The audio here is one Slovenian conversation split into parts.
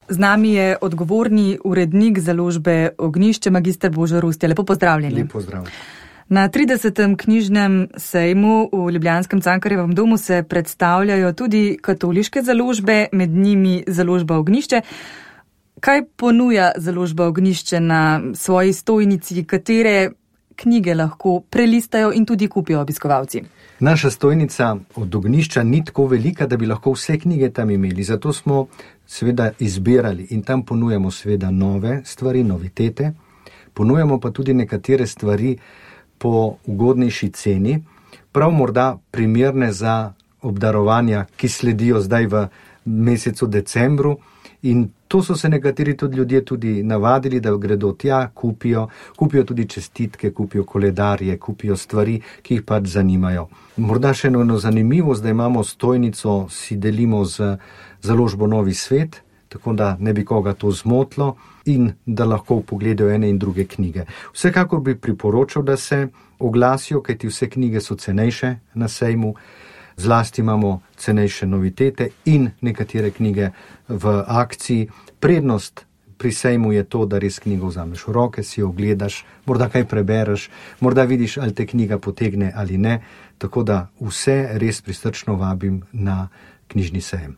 Z nami je odgovorni urednik založbe Ognjišče, magister Božo Rustja. Lepo pozdravljeni. Lep pozdrav. Na 30. knjižnem sejmu v ljubljanskem Cankarjevem domu se predstavljajo tudi katoliške založbe, med njimi založba Ognjišče. Kaj ponuja založba Ognjišče na svoji stojnici, katere knjige lahko prelistajo in tudi kupijo obiskovalci? Naša stojnica od Ognjišča ni tako velika, da bi lahko vse knjige tam imeli. Zato smo seveda izbirali in tam ponujamo seveda nove stvari, novitete. Ponujamo pa tudi nekatere stvari po ugodnejši ceni, prav morda primerne za obdarovanja, ki sledijo zdaj v mesecu decembru. In to so se nekateri tudi ljudje tudi navadili, da gredo tja, kupijo tudi čestitke, kupijo koledarje, kupijo stvari, ki jih pač zanimajo. Morda še eno zanimivost, da imamo stojnico, si delimo z založbo Novi svet, tako da ne bi koga to zmotilo in da lahko pogledajo ene in druge knjige. Vsekakor bi priporočal, da se oglasijo, kajti vse knjige so cenejše na sejmu, zlasti imamo cenejše novitete in nekatere knjige v akciji. Prednost pri sejmu je to, da res knjigo vzameš v roke, si jo ogledaš, morda kaj prebereš, morda vidiš, ali te knjiga potegne ali ne, tako da vse res prisrčno vabim na knjižni sejem.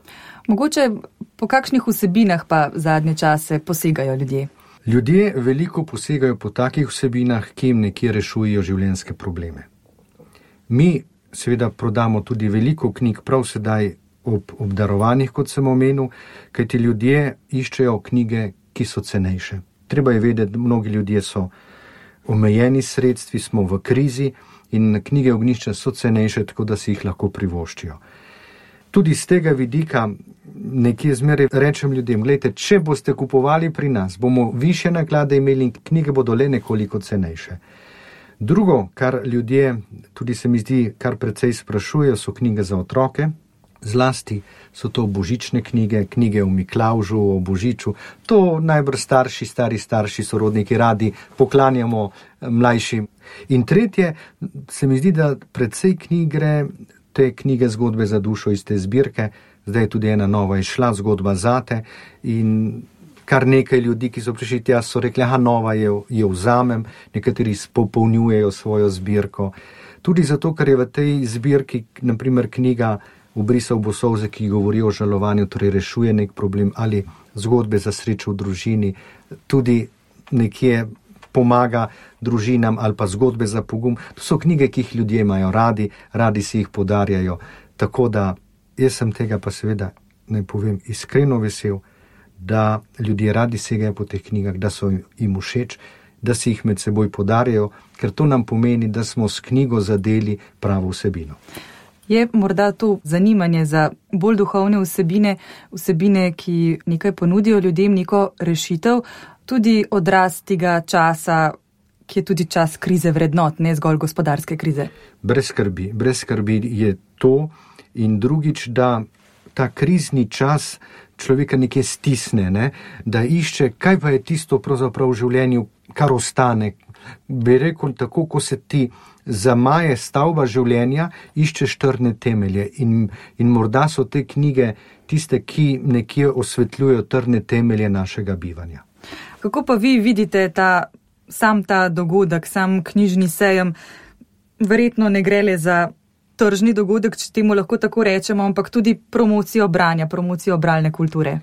Mogoče po kakšnih vsebinah pa zadnje čase posegajo ljudje? Ljudje veliko posegajo po takih vsebinah, ki jim nekje rešujejo življenjske probleme. Mi seveda prodamo tudi veliko knjig prav sedaj ob obdarovanjih, kot sem omenil, kajti ljudje iščejo knjige, ki so cenejše. Treba je vedeti, da mnogi ljudje so omejeni sredstvi, smo v krizi in knjige Ognjišča so cenejše, tako da si jih lahko privoščijo. Tudi z tega vidika nekje zmeraj rečem ljudem, gledajte, če boste kupovali pri nas, bomo višje naklade imeli in knjige bodo le nekoliko cenejše. Drugo, kar ljudje, tudi se mi zdi, kar precej sprašujejo, so knjige za otroke. Zlasti so to božične knjige, knjige o Miklavžu, o Božiču. To najbrž stari starši, sorodniki radi poklanjamo mlajšim. In tretje, se mi zdi, da precej knjig gre, te knjige Zgodbe za dušo iz te zbirke, zdaj je tudi ena nova izšla, Zgodba zate, in kar nekaj ljudi, ki so prišli tja, so rekli, nova jo vzamem, nekateri popolnjujejo svojo zbirko. Tudi zato, ker je v tej zbirki, naprimer knjiga Ubrisal bo solze, ki govori o žalovanju, torej rešuje nek problem, ali Zgodbe za srečo v družini, tudi nekje pomaga družinam, ali pa Zgodbe za pogum. To so knjige, ki jih ljudje imajo radi si jih podarjajo. Tako da jaz sem tega pa seveda, naj povem, iskreno vesel, da ljudje radi segajo po teh knjigah, da so jim všeč, da si jih med seboj podarjajo, ker to nam pomeni, da smo s knjigo zadeli pravo vsebino. Je morda to zanimanje za bolj duhovne vsebine, ki nekaj ponudijo ljudem, neko rešitev, tudi odraz tega časa, ki je tudi čas krize vrednot, ne zgolj gospodarske krize? Brez skrbi je to. In drugič, da ta krizni čas človeka nekje stisne, ne? Da išče, kaj pa je tisto pravzaprav v življenju, kar ostane. Bi rekel tako, ko se ti zamaje stavba življenja, iščeš trdne temelje in morda so te knjige tiste, ki nekje osvetljujejo trdne temelje našega bivanja. Kako pa vi vidite sam ta dogodek, sam knjižni sejem? Verjetno ne gre le za tržni dogodek, če temu lahko tako rečemo, ampak tudi promocijo branja, promocijo bralne kulture.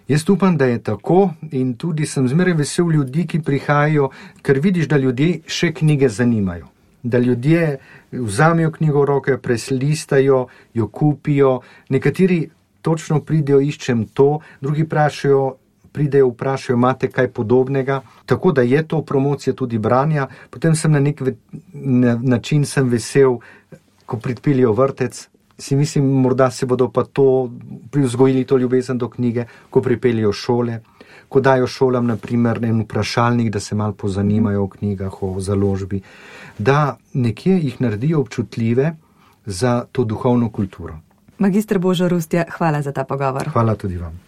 Jaz upam, da je tako in tudi sem zmeraj vesel ljudi, ki prihajajo, ker vidiš, da ljudje še knjige zanimajo. Da ljudje vzamejo knjigo v roke, preslistajo, jo kupijo. Nekateri točno pridejo, iščem to, drugi pridejo, vprašajo, imate kaj podobnega. Tako da je to promocija tudi branja. Potem sem na nek način sem vesel, ko pripeljejo vrtec, si mislim, morda se bodo pa to vzgojili to ljubezen do knjige, ko pripeljejo šole, ko dajo šolam naprimer en vprašalnik, da se malo pozanimajo o knjigah, o založbi, da nekje jih naredijo občutljive za to duhovno kulturo. Magister Božo Rustja, hvala za ta pogovor. Hvala tudi vam.